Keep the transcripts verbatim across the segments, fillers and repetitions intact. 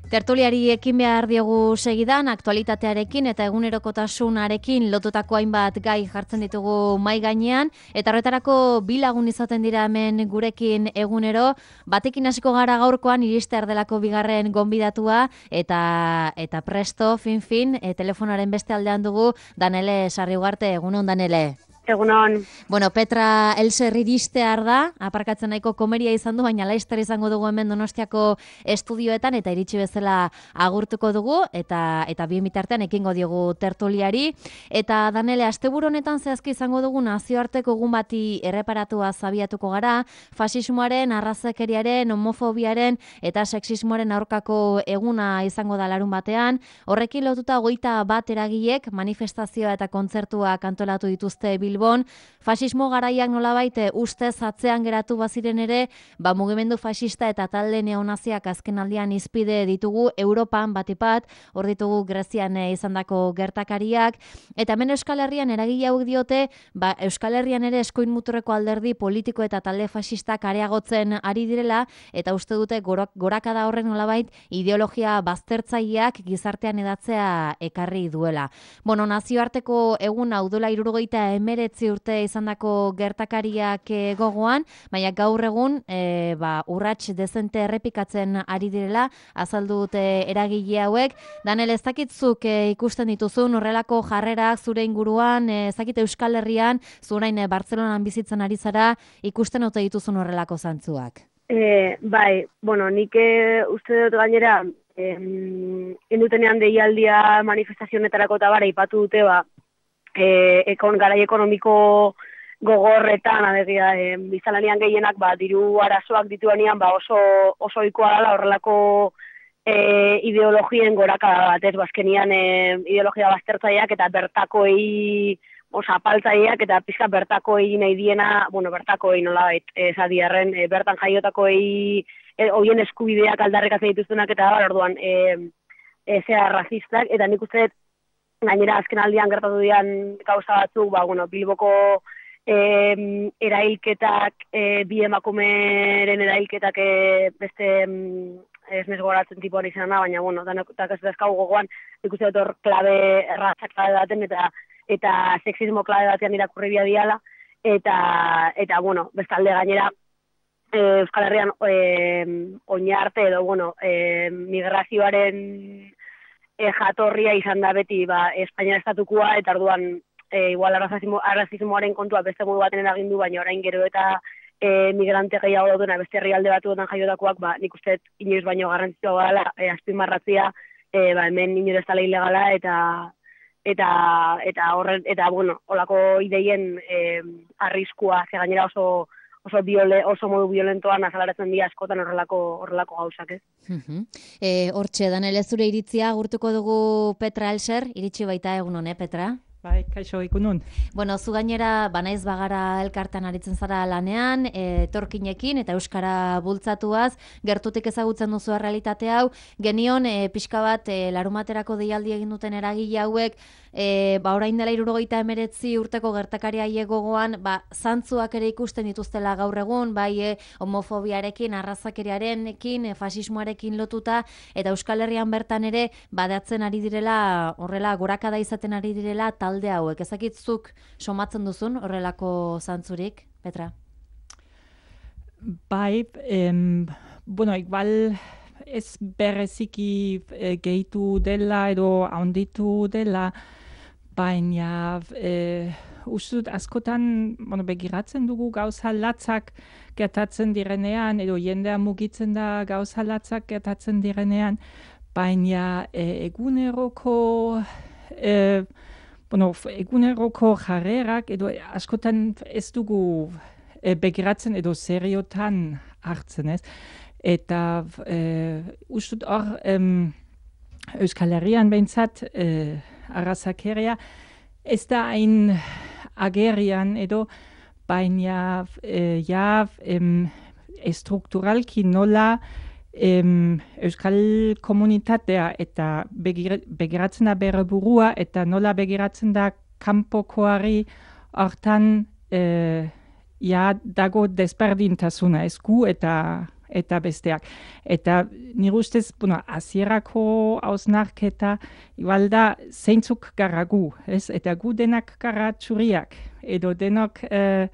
Tertuliari ekin behar diogu segidan, aktualitatearekin eta egunerokotasunarekin lotutako hainbat gai jartzen ditugu mai gainean, eta horretarako bi lagun izaten dira hemen gurekin egunero, batekin hasiko gara gaurkoan iriste erdelako bigarren gonbidatua, eta eta presto, fin-fin, e, telefonaren beste aldean dugu, Danele Sarriugarte, egunon Danele. Egunon. Bueno, Petra Elser iristear da, aparkatzen nahiko komeria izan du, baina laizter izango dugu hemen Donostiako estudioetan, eta iritsi bezala agurtuko dugu, eta eta bien bitartean ekingo diogu tertuliari. Eta Danele, asteburu honetan zehazki izango dugu nazioarteko egun bati erreparatua zabiatuko gara, fasismoaren, arrazakeriaren, homofobiaren eta sexismoaren aurkako eguna izango da larun batean. Horrekin lotuta hogeita bat eragilek manifestazioa eta kontzertuak antolatu dituzte Bilbon. Bon, fasismo garaiak nolabait ustez atzean geratu baziren ere, ba mugimendu fascista eta talde neonaziak azken aldian izpide ditugu Europan batipat, hor ditugu Grezian izandako gertakariak, eta hemen Euskal Herrian eragile hauek diote, ba Euskal Herrian ere eskuin muturreko alderdi politiko eta talde fascistak areagotzen ari direla, eta uste dute gorakada horrek nolabait ideologia baztertzaileak gizartean edatzea ekarri duela. Bueno, nazioarteko egun hau duela hirurogeita hemeretzi urte izandako gertakariak e, gogoan, baina gaur egun e, ba, urrats dezente errepikatzen ari direla, azaldu dute eragile hauek. Danel, ez dakitzuk e, ikusten dituzun horrelako jarrerak zure inguruan, e, ez dakit Euskal Herrian, zurain e, Bartzelonan bizitzen ari zara, ikusten ote dituzun horrelako zantzuak? E, bai, bueno, nik e, uste dut gainera, e, indutenean deialdia manifestazionetarako eta bara ipatu dute, ba, E, ekon, garai ekonomiko gogorretan, adegia, e, bizalanian gehienak ba, diru arazoak dituanean ba, oso, oso ikoa dela horrelako e, ideologien gorakada bat, ez, bazkenian e, ideologia baztertzaileak eta bertakoei osa apaltzaileak eta pizka bertakoei nahi diena, bueno, bertakoei nolabait, esadiarren, e, bertan jaiotakoei e, hoien eskubideak aldarrikatzen dituztenak eta bar, orduan, e, e, zea razistak, eta nik uste gainera azken aldian gertatu dian gauza batzuk, ba, bueno, Bilboko eh, erailketak, eh, bi emakumeren erailketak eh, beste ez nes goratzen tipuan izan da, baina, bueno, danak ez dazkagu gogoan, ikuste dut hor klabe, errazak klabe baten, eta eta sexismo klabe batean irakurri bia diala, eta, eta bueno, bestalde gainera, eh, Euskal Herrian eh, oinarte edo, bueno, eh, migrazioaren E, jatorria izan da beti ba, Espainia estatukoa, eta orduan e, igual arrazismo, arrazismoaren kontua beste modu baten eragindu, baina orain gero eta e, migrante gehiago daudena beste herrialde batuetan jaiotakoak, ba, nik uste inoiz baino garrantzitsua dela e, azpimarratzea, e, ba, hemen inoiz ez dela ilegala, eta eta eta horren eta bueno, holako ideien e, arriskua, ze gainera oso oso biole, oso modu violentoan azalaratzen dira askotan horrelako horrelako gauzak, ez? Mhm. Eh, hortxe Danele, zure iritzia agurtuko dugu Petra Elser, iritsi baita egunon, eh, Petra? Bai, kaixo egunon. Bueno, zu gainera banaiz bagara elkartan aritzen zara lanean, etorkinekin eta euskara bultzatuaz, gertutik ezagutzen duzu errealitate hau, genion e, pixka bat e, larumaterako deialdi egin duten eragile hauek, e, ba orain dela hirurogeita hemeretzi urteko gertakaria gogoan, ba zantzuak ere ikusten dituztela gaur egun, bai e, homofobiarekin, arrazakeriarekin, e, fasismoarekin lotuta, eta Euskal Herrian bertan ere badatzen ari direla, horrela gorakada izaten ari direla talde hauek. Ezakitzuk somatzen duzun horrelako zantzurik, Petra? Bai, em, bueno, igual ez bereziki e, gehitu dela edo handitu dela, baina e, ustut askotan bueno, begiratzen dugu gauza latzak gertatzen direnean, edo jendea mugitzen da gauza latzak gertatzen direnean, baina e, eguneroko e, bueno, eguneroko jarrerak edo askotan ez dugu e, begiratzen edo seriotan hartzen, ez? Eta e, ustut hor em, Euskal Herrian behintzat e, arrazakeria ez da hain agerian edo baina e, ja em, estrukturalki nola em, Euskal komunitatea eta begir, begiratzen da bere burua eta nola begiratzen da kanpokoari hortan e, ja dago desberdintasuna esku eta eta besteak. Eta nire ustez, bueno, hasierako hausnarketa, igual da, zeintzuk gara gu, ez? Eta gu denak gara txuriak, edo denok eh,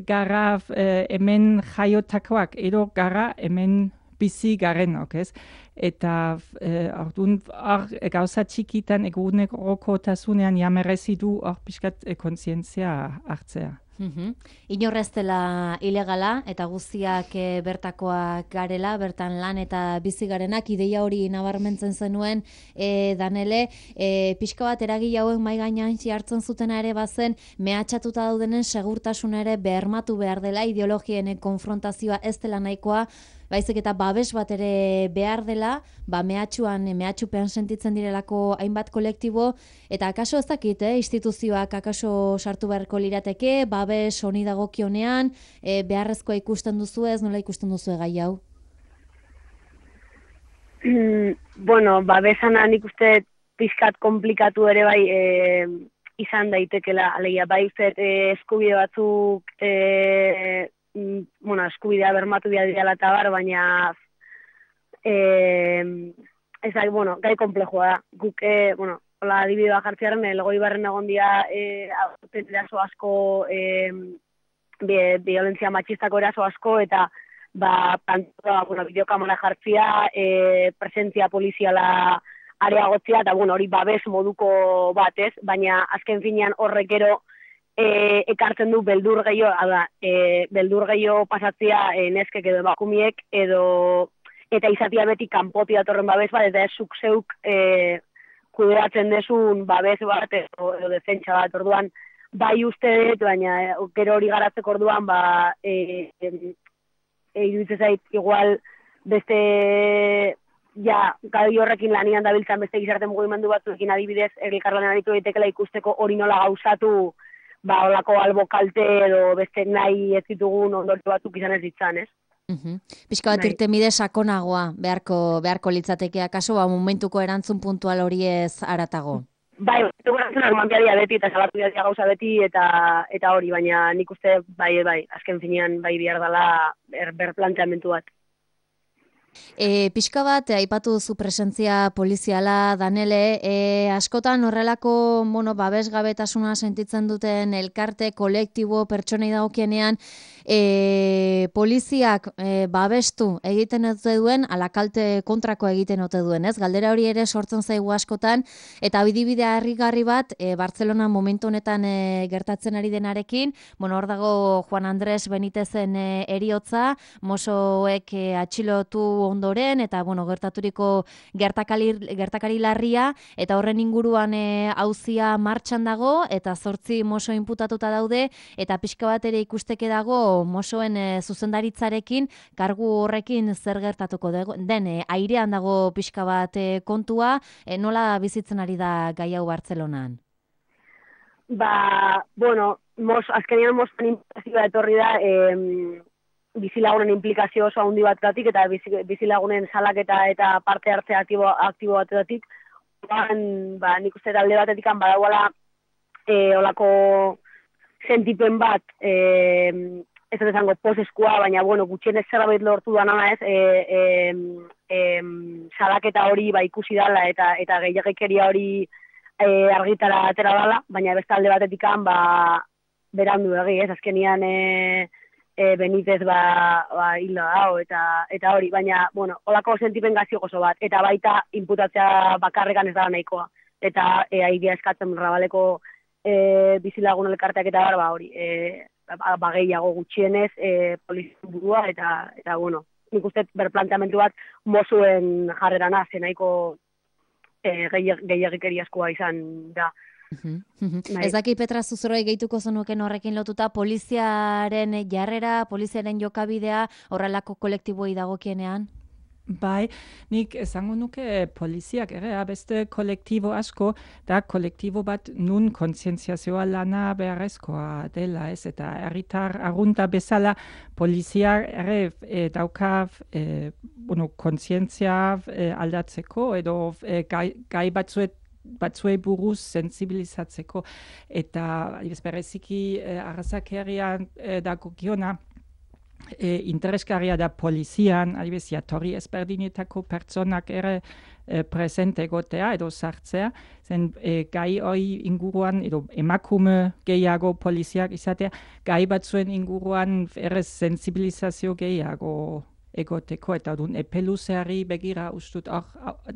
gara eh, hemen jaiotakoak, edo gara hemen bizi garenok, ez? Eta eh, orduan, hor gauza txikitan egunerokotasunean jamerezi du hor pixkat eh, kontzientzia hartzea. Mhm. Inorrez dela ilegala eta guztiak e, bertakoak garela, bertan lan eta bizi garenak, ideia hori nabarmentzen zenuen e, Danele, e, pixka bat eragile hauen mai gainean hartzen zutena ere bazen, mehatxatuta daudenen segurtasuna ere bermatu behar dela, ideologien konfrontazioa ez dela nahikoa, baizik eta babes bat ere behar dela, ba mehatxuan, mehatxupean sentitzen direlako hainbat kolektibo, eta akaso ez dakit, eh, instituzioak akaso sartu beharko lirateke, babes honi dagokionean, eh, beharrezkoa ikusten duzu ez, nola ikusten duzu gai hau? Bueno, babesana nik uste pixkat komplikatu ere bai e, izan daitekela, alegia, bai uste e, eskubide batzuk e, bueno, eskubidea bermatu behar dira eta bar, baina eh, ez da, bueno, gai komplejua da. Guk, eh, bueno, hola adibidea jartzearen, elgoi barren egon dira eh, eraso asko, eh, violentzia matxistako eraso asko, eta ba, plantua, bueno, bideokamera jartzia, eh, presentzia poliziala areagotzia, eta bueno, hori babes moduko batez, baina azken finean horrek gero E, ekartzen du beldur gehiago, da, e, beldur gehiago pasatzea e, neskek edo emakumiek, edo eta izatia beti kanpoti datorren babes bat, eta ez zuk zeuk e, kudeatzen desun babes bat, edo, edo defentsa bat, orduan, bai uste dut, baina e, gero hori garatzeko orduan, ba, e, e, e, iruditzen zait, igual, beste, ja, gai horrekin lanian dabiltzan beste gizarte mugimendu batzuekin adibidez, elkarlanean aritu daitekela ikusteko hori nola gauzatu, ba, olako albo kalte edo beste nahi ez ditugun ondorio batzuk izan ez ditzan, ez? Uh-huh. Pixka bat irtenbide sakonagoa beharko, beharko litzateke akaso, ba, momentuko erantzun puntual hori ez aratago. Bai, momentuko erantzun arman biadia beti eta salatu biadia gauza beti eta eta hori, baina nik uste bai, bai, azken finean bai behar dela ber, berplanteamentu bat. E, pixka bat, aipatu duzu presentzia poliziala, Danele, e, askotan horrelako bueno, babesgabetasuna sentitzen duten elkarte, kolektibo, pertsonei dagokienean, e, poliziak e, babestu egiten ote duen, ala kalte kontrako egiten ote duen, ez? Galdera hori ere sortzen zaigu askotan, eta bidibidea harrigarri bat, e, Bartzelona momentu honetan e, gertatzen ari denarekin, bueno, hor dago Juan Andres Benitezen e, eriotza, mosoek e, atxilotu ondoren, eta bueno, gertaturiko gertakari, gertakari larria, eta horren inguruan e, auzia martxan dago, eta zortzi moso inputatuta daude, eta pixka bat ere ikusteke dago mosoen e, zuzendaritzarekin, kargu horrekin zer gertatuko den, e, airean dago pixka bat e, kontua, e, nola bizitzen ari da gai hau Bartzelonan? Ba, bueno, mos, azkenean mosten implikazioa etorri da, eh, bizilagunen implikazio oso handi batetatik eta bizilagunen salaketa eta parte hartze aktibo, aktibo batetatik, ba, nik uste alde batetik badagoela e, olako sentipen bat, e, ez dut esango poseskua, baina bueno, gutxienez zerbait lortu da nana ez, e, e, e, salaketa hori ba, ikusi dala eta eta gehiagikeria hori e, argitara atera dala, baina beste alde batetik ba, berandu egi, ez, azkenian e, E, Benitez ba, ba hilda dago eta eta hori, baina, bueno, holako sentipen gazio gozo bat, eta baita inputatzea bakarrekan ez da nahikoa, eta e, aidea eskatzen Rabaleko e, bizilagun elkarteak eta bar, ba hori, e, ba, ba gehiago gutxienez e, polizien burua, eta, eta bueno, nik uste berplanteamentu bat mozuen jarrerana, zen nahiko e, gehiagikeriazkoa izan da. Uh-huh, uh-huh. Ez daki Petra Zuzoroi gehituko zenuken horrekin lotuta, poliziaren jarrera, poliziaren jokabidea horrelako kolektiboi dagokienean? Bai, nik esango nuke poliziak ere, beste kolektibo asko, da kolektibo bat nun kontzientziazioa lana beharrezkoa dela, ez, eta herritar arrunta bezala poliziak ere e, dauka e, bueno, kontzientzia e, aldatzeko, edo e, gai, gai batzuet batzuei buruz sensibilizatzeko, eta bereziki eh, arrazakerian eh, dagokiona e, interesgarria da polizian, adibidez, jatorri ezberdinetako pertsonak ere e, presente egotea edo sartzea, zen e, gai hori inguruan, edo emakume gehiago poliziak izatea, gai batzuen inguruan ere sensibilizazio gehiago egoteko, eta dun epeluzeari begira ustut hor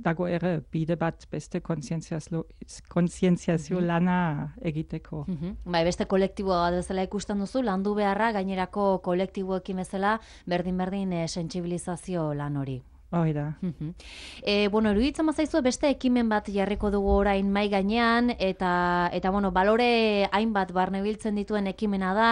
dago ere bide bat beste kontzientziazio kontzientziazio mm-hmm. lana egiteko. Mm-hmm. Bai, beste kolektiboa bezala ikusten duzu, landu beharra gainerako kolektiboekin bezala berdin-berdin e, sentsibilizazio lan hori. Hoi da. E, bueno, eruditzen bazaizu beste ekimen bat jarriko dugu orain mai gainean, eta, eta bueno, balore hainbat barnebiltzen dituen ekimena da,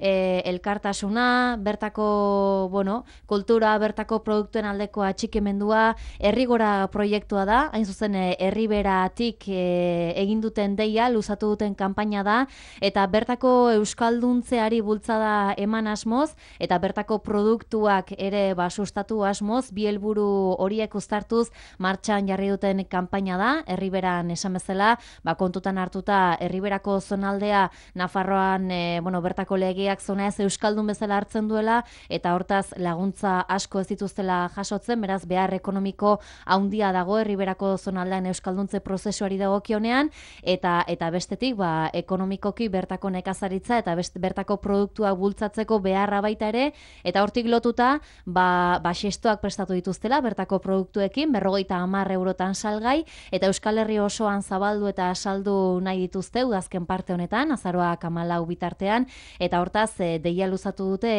e, elkartasuna, bertako, bueno, kultura, bertako produktuen aldeko atxikimendua, herrigora proiektua da, hain zuzen herriberatik e, egin duten deia, luzatu duten kanpaina da, eta bertako euskalduntzeari bultzada eman asmoz, eta bertako produktuak ere basustatu asmoz, bi helburu horiek uztartuz martxan jarri duten kanpaina da, herriberan esan bezala, ba, kontutan hartuta herriberako zonaldea Nafarroan e, bueno, bertako legeak zona ez euskaldun bezala hartzen duela, eta hortaz laguntza asko ez dituztela jasotzen, beraz behar ekonomiko handia dago herriberako zonaldean euskalduntze prozesuari dagokionean, eta eta bestetik ba, ekonomikoki bertako nekazaritza eta best, bertako produktua bultzatzeko beharra baita ere, eta hortik lotuta ba, ba xestoak prestatu dituztela bertako produktuekin, berrogeita hamar eurotan salgai, eta Euskal Herri osoan zabaldu eta saldu nahi dituzte udazken parte honetan, azaroak hamalau bitartean, eta hortaz e, deia luzatu dute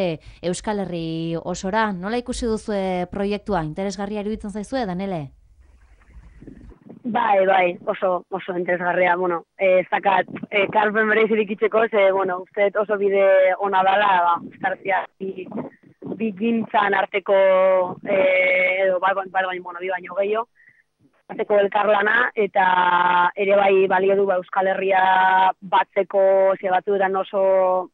Euskal Herri osora. Nola ikusi duzue proiektua? Interesgarria iruditzen zaizue, Danele? Bai, bai, oso, oso interesgarria, bueno, ez dakat, e, karpen bereizirik itxeko, ze, bueno, uste oso bide ona dala, ba, ustartzia, bigintzan arteko, eh, edo, bai, bai, bai, bueno, bi baino gehiago, arteko elkarlana, eta ere bai balio du ba, Euskal Herria batzeko, ze batzuetan oso,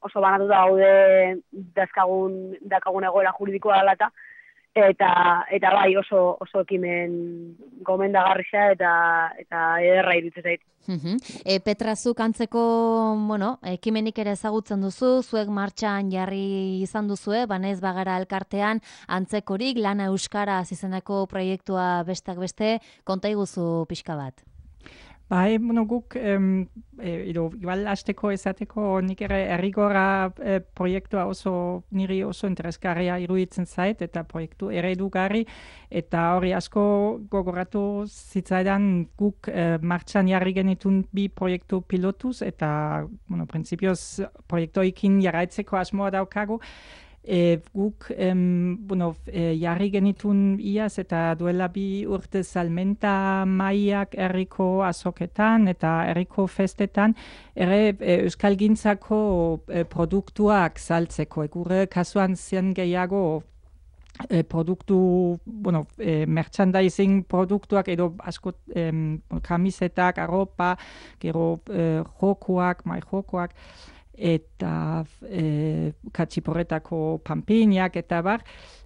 oso banatu da gaude dazkagun, dakagun egoera juridikoa dela eta, eta, eta bai oso, oso ekimen gomendagarria eta, eta ederra iruditzen zait. Uh-huh. E, Petra, zuk antzeko, bueno, ekimenik ere ezagutzen duzu, zuek martxan jarri izan duzue, banez bagara elkartean antzekorik, lana euskara izeneko proiektua besteak beste, konta iguzu pixka bat. Bai, bueno, guk, em, e, edo, igual hasteko esateko nik ere herrigora e, proiektua oso, niri oso interesgarria iruditzen zait, eta proiektu eredugarri, eta hori asko gogoratu zitzaidan guk e, martxan jarri genitun bi proiektu pilotuz, eta, bueno, prinsipioz proiektuekin jarraitzeko asmoa daukagu. E, guk em, bueno, e, jarri genitun iaz eta duela bi urte salmenta maiak herriko azoketan eta herriko festetan ere e, euskalgintzako e, produktuak saltzeko. Gure kasuan zen gehiago e, produktu, bueno, e, merchandising produktuak edo asko em, kamisetak, arropa, gero e, jokoak, mai jokoak, eta e, katxiporretako panpiniak eta bar.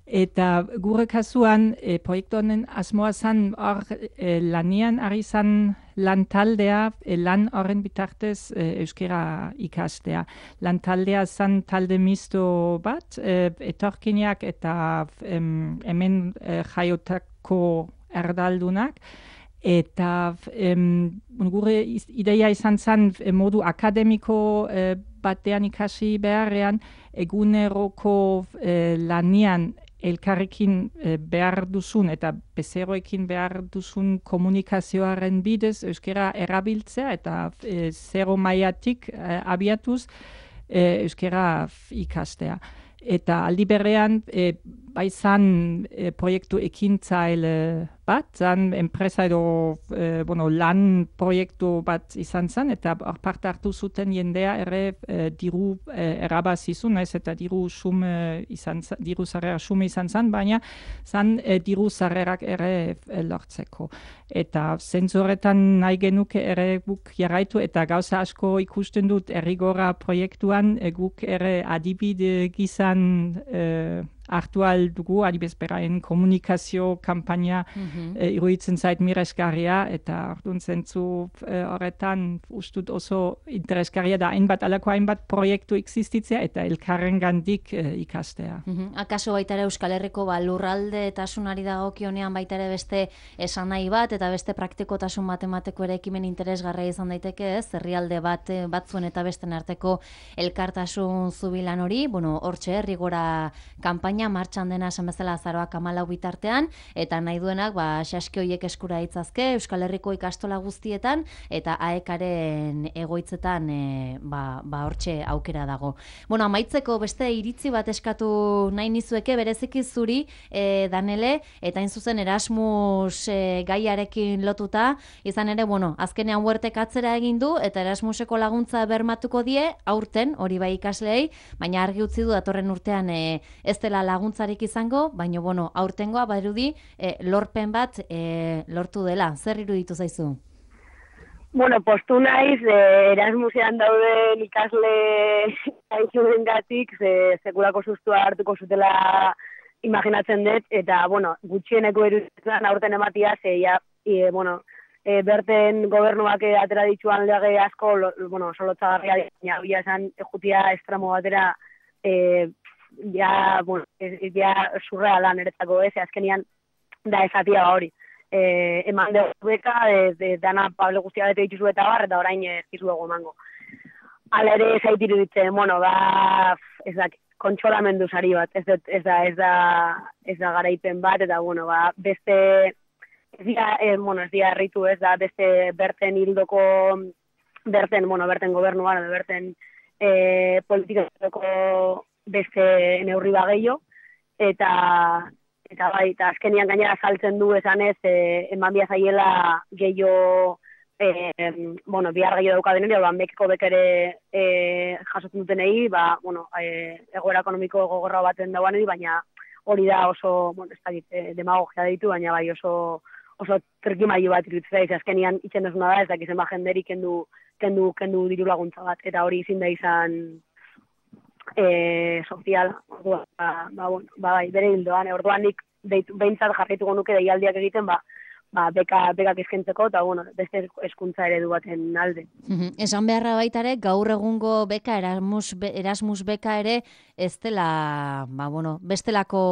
Eta gure kasuan e, proiektu honen asmoa zan hor e, lanian ari zan lantaldea, e, lan horren bitartez e, euskera ikastea. Lantaldea zan talde misto bat, e, etorkinak eta em, hemen e, jaiotako erdaldunak. Eta em, gure ideia izan zen modu akademiko eh, batean ikasi beharrean, eguneroko eh, lanian elkarrekin eh, behar duzun eta bezeroekin behar duzun komunikazioaren bidez euskera erabiltzea eta eh, zero mailatik eh, abiatuz eh, euskera ikastea. Eta aldi berean, e, bai zan e, proiektu ekintzaile bat, zan enpresa edo e, bueno, lan proiektu bat izan zen, eta parte hartu zuten jendea ere e, diru e, erabazizun, ez eta diru sume izan, diru zarrera sume izan zen, baina zan e, diru zarrerak ere e, lortzeko. Eta zentzoretan nahi genuke ere guk jarraitu, eta gauza asko ikusten dut errigora proiektuan, e, guk ere adibide gizan e, hartu aldugu, adibez beraien komunikazio kampaina Mhm. e, iruditzen zait miresgarria, eta orduan zentzu e, horretan ustut oso interesgarria da hainbat alako hainbat proiektu existitzea eta elkarren gandik e, ikastea. Mhm. Akaso baita ere Euskal Herriko ba, lurralde etasunari dagokionean baita ere beste esan nahi bat eta beste praktikotasun bat emateko ere ekimen interesgarria izan daiteke, ez? Herrialde bat eh, batzuen eta besten arteko elkartasun zubilan hori, bueno, hortxe Rigora kanpaina martxan dena esan bezala azaroak hamalau bitartean eta nahi duenak ba saski hoiek eskura ditzazke Euskal Herriko ikastola guztietan eta aekaren egoitzetan e, ba ba hortxe aukera dago. Bueno, amaitzeko beste iritzi bat eskatu nahi nizueke bereziki zuri e, Danele eta hain zuzen Erasmus e, gaiarekin lotuta, izan ere bueno, azkenean Huertek atzera egin du eta Erasmuseko laguntza bermatuko die aurten hori bai ikasleei, baina argi utzi du datorren urtean e, ez dela laguntzarik izango, baina bueno, aurtengoa badirudi e, lorpen bat e, lortu dela. Zer iruditu zaizu? Bueno, postu naiz, eh, Erasmusean dauden ikasle gaitzuengatik ze sekulako sustua hartuko zutela imaginatzen dut, eta, bueno, gutxieneko eruditzen aurten ematia, ze, ja, e, bueno, e, berten gobernuak atera dituan lege asko, lo, bueno, solotzagarria, baina, bila esan, jutia estramo batera, e, ja, bueno, ja surreala niretzako, ez, azkenian da esatia hori. Eh, eman dugu beka, de, de, dana Pablo guztia bete dituzu eta bar, eta orain ez dizuego emango. Hala ere zaitiru ditzen, bueno, ba, ez da, kontsolamendu sari bat, ez da, ez da, ez da, ez da garaipen bat, eta, bueno, ba, beste, ez dira, eh, bueno, ez dira herritu, ez da, beste berten hildoko, berten, bueno, berten gobernuan, berten eh, politikako beste neurri bageio, eta, eta bai, eta azkenian gainera saltzen du esanez, eh, eman bia zaiela gehiago, eh, bueno, bihar gehiago dauka deneri, orduan bekeko bekere eh, jasotzen dutenei, ba, bueno, eh, egoera ekonomiko gogorra baten dauanei, baina hori da oso, bueno, ez dakit, eh, demagogia ditu, baina bai oso oso trikimailu bat iruditzen da, azkenian itzen duzuna da, ez dakizen ba jenderi kendu, kendu, kendu diru laguntza bat, eta hori izin da izan e, soziala, orduan, ba, ba, bueno, ba, bai, bere hildoan, orduan nik behintzat jarraituko nuke deialdiak egiten, ba, ba, beka, bekak eskentzeko, eta, bueno, beste hezkuntza eredu baten alde. Esan beharra baita ere, gaur egungo beka, Erasmus, Erasmus beka ere, ez dela, ba, bueno, bestelako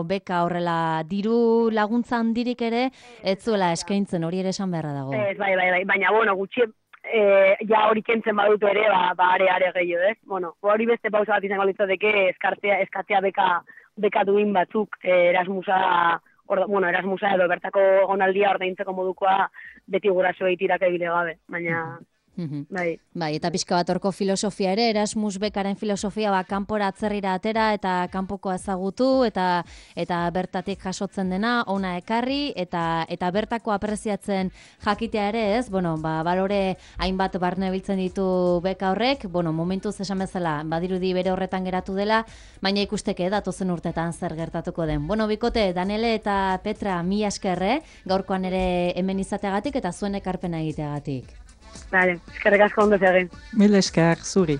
beka horrela diru laguntza handirik ere, ez zuela eskaintzen, hori ere esan beharra dago. Ez, bai, bai, bai, baina, bueno, gutxi, e, ja hori kentzen badutu ere, ba, ba are, are gehiago, ez? Bueno, hori beste pausa bat izango litzateke, eskartea, eskatzea beka, beka duin batzuk, eh, Erasmusa, Orda, bueno, Erasmusa edo bertako egonaldia ordaintzeko modukoa beti gurasoei tiraka ibile gabe, baina bai. Bai, eta pixka bat horko filosofia ere, Erasmus bekaren filosofia ba, kanpora atzerrira atera eta kanpoko ezagutu eta eta bertatik jasotzen dena, ona ekarri eta eta bertako apreziatzen jakitea ere, ez? Bueno, ba, balore hainbat barne biltzen ditu beka horrek, bueno, momentuz esan bezala, badirudi bere horretan geratu dela, baina ikusteke datozen urtetan zer gertatuko den. Bueno, bikote, Danele eta Petra, mila esker, eh? Gaurkoan ere hemen izateagatik eta zuen ekarpena egiteagatik. Vale, eskerrik asko ondo egin. Mil esker, zuri.